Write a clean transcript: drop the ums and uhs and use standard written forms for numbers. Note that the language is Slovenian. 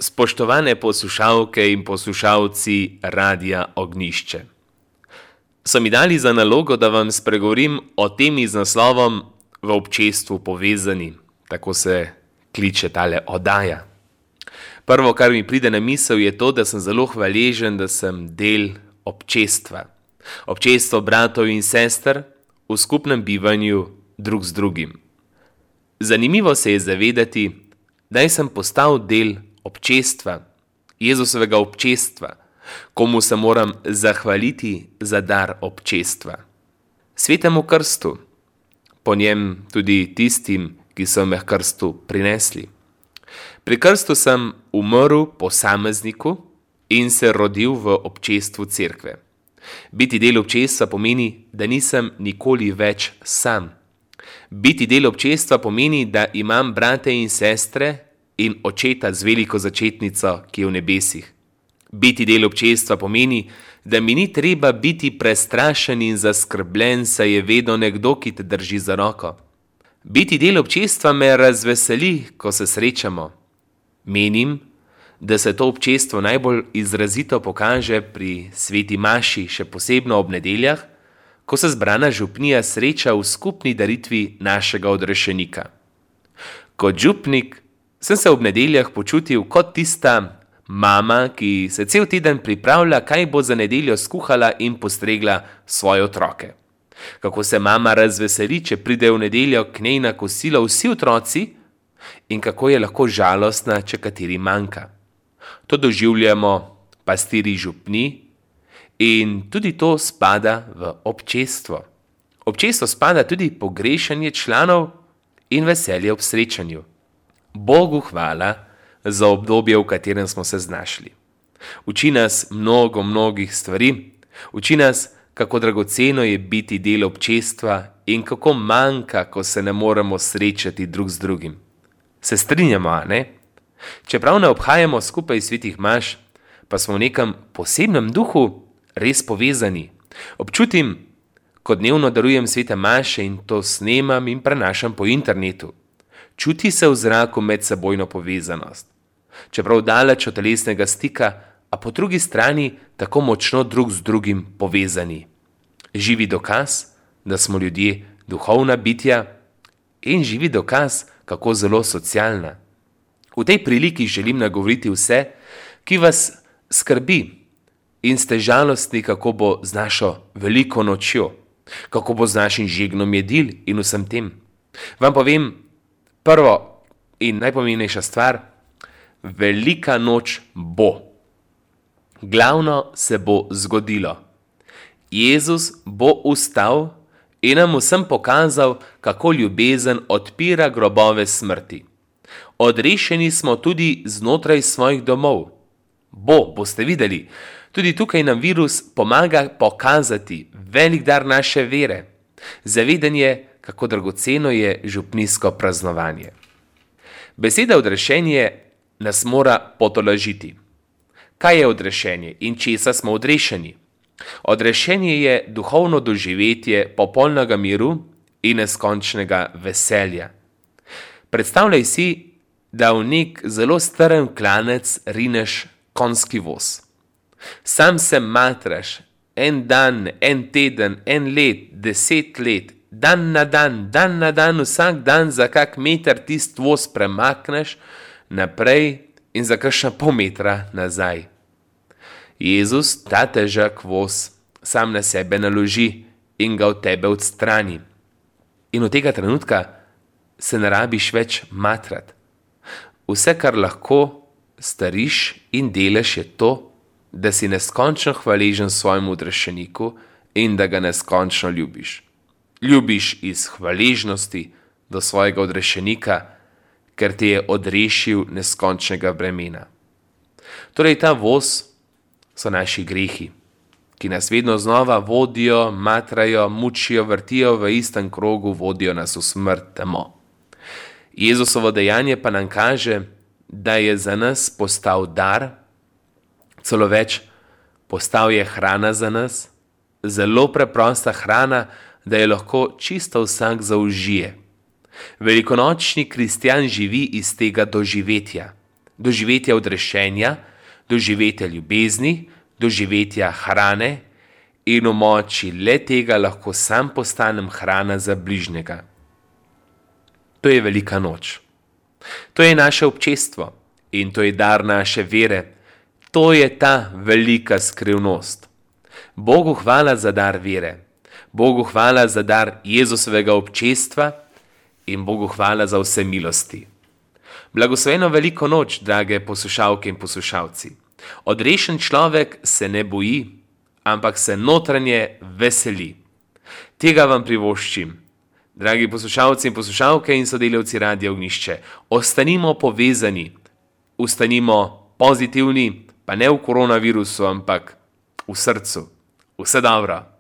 Spoštovane poslušalke in poslušalci Radia Ognjišče. So mi dali za nalogo, da vam spregovorim o temi z naslovom V občestvu povezani. Tako se kliče tale oddaja. Prvo, kar mi pride na misel, je to, da sem zelo hvaležen, da sem del občestva. Občestvo bratov in sester v skupnem bivanju drug z drugim. Zanimivo se je zavedati, da sem postal del občestva, Jezusovega občestva, komu se moram zahvaliti za dar občestva. Svetemu krstu, po njem tudi tistim, ki so me h krstu prinesli. Pri krstu sem umrl posamezniku in se rodil v občestvu cerkve. Biti del občestva pomeni, da nisem nikoli več sam. Biti del občestva pomeni, da imam brate in sestre in očeta z veliko začetnico, ki je v nebesih. Biti del občestva pomeni, da mi ni treba biti prestrašen in zaskrbljen, saj je vedno nekdo, ki te drži za roko. Biti del občestva me razveseli, ko se srečamo. Menim, da se to občestvo najbolj izrazito pokaže pri sveti maši, še posebno ob nedeljah, ko se zbrana župnija sreča v skupni daritvi našega odrešenika. Kot župnik sem se ob nedeljah počutil kot tista mama, ki se cel teden pripravlja, kaj bo za nedeljo skuhala in postregla svoje otroke. Kako se mama razveseli, če pride v nedeljo k njej na kosilo vsi otroci in kako je lahko žalostna, če kateri manjka. To doživljamo pastirji župni in tudi to spada v občestvo. Občestvo spada tudi pogrešanje članov in veselje ob srečanju. Bogu hvala za obdobje, v katerem smo se znašli. Uči nas mnogih stvari, uči nas, kako dragoceno je biti del občestva in kako manjka, ko se ne moremo srečati drug z drugim. Se strinjamo, a ne? Čeprav ne obhajamo skupaj svetih maš, pa smo v nekem posebnem duhu res povezani. Občutim, ko dnevno darujem svete maše in to snemam in prenašam po internetu. Čuti se v zraku medsebojno povezanost. Čeprav daleč od telesnega stika, a po drugi strani tako močno drug z drugim povezani. Živi dokaz, da smo ljudje duhovna bitja in živi dokaz, kako zelo socialna. V tej priliki želim nagovoriti vse, ki vas skrbi in ste žalostni, kako bo z našo veliko nočjo, kako bo z našim žegnom jedil in vsem tem. Vam povem, prvo in najpomembnejša stvar, velika noč bo. Glavno se bo zgodilo. Jezus bo vstal in nam vsem pokazal, kako ljubezen odpira grobove smrti. Odrešeni smo tudi znotraj svojih domov. Boste videli, tudi tukaj nam virus pomaga pokazati velik dar naše vere, zavedanje, kako dragoceno je župnijsko praznovanje. Beseda odrešenje nas mora potolažiti. Kaj je odrešenje in česa smo odrešeni? Odrešenje je duhovno doživetje popolnega miru in neskončnega veselja. Predstavljaj si, da v nek zelo strm klanec rineš konjski voz. Sam se matraš, en dan, en teden, en let, 10 let, dan na dan, vsak dan za kak meter tist voz premakneš naprej in za kakšna pol metra nazaj. Jezus ta težak voz sam na sebe naloži in ga od tebe odstrani. In od tega trenutka se ne rabiš več matrati. Vse, kar lahko storiš in delaš, je to, da si neskončno hvaležen svojemu odrešeniku in da ga neskončno ljubiš. Ljubiš iz hvaležnosti do svojega odrešenika, ker te je odrešil neskončnega bremena. Torej ta voz so naši grehi, ki nas vedno znova vodijo, matrajo, mučijo, vrtijo v istem krogu, vodijo nas v smrt temo. Jezusovo dejanje pa nam kaže, da je za nas postal dar, celo več, postal je hrana za nas, zelo preprosta hrana, da je lahko čisto vsak zaužije. Velikonočni kristjan živi iz tega doživetja. doživetja odrešenja, doživetja ljubezni, doživetja hrane in v moči le tega lahko sam postanem hrana za bližnjega. To je velika noč. To je naše občestvo in to je dar naše vere. To je ta velika skrivnost. Bogu hvala za dar vere. Bogu hvala za dar Jezusovega občestva in Bogu hvala za vse milosti. Blagosloveno veliko noč, drage poslušalke in poslušalci. Odrešen človek se ne boji, ampak se notranje veseli. Tega vam privoščim. Dragi poslušalci in poslušalke in sodelavci Radia Ognjišče, ostanimo povezani, ostanimo pozitivni, pa ne v koronavirusu, ampak v srcu. Vse dobro.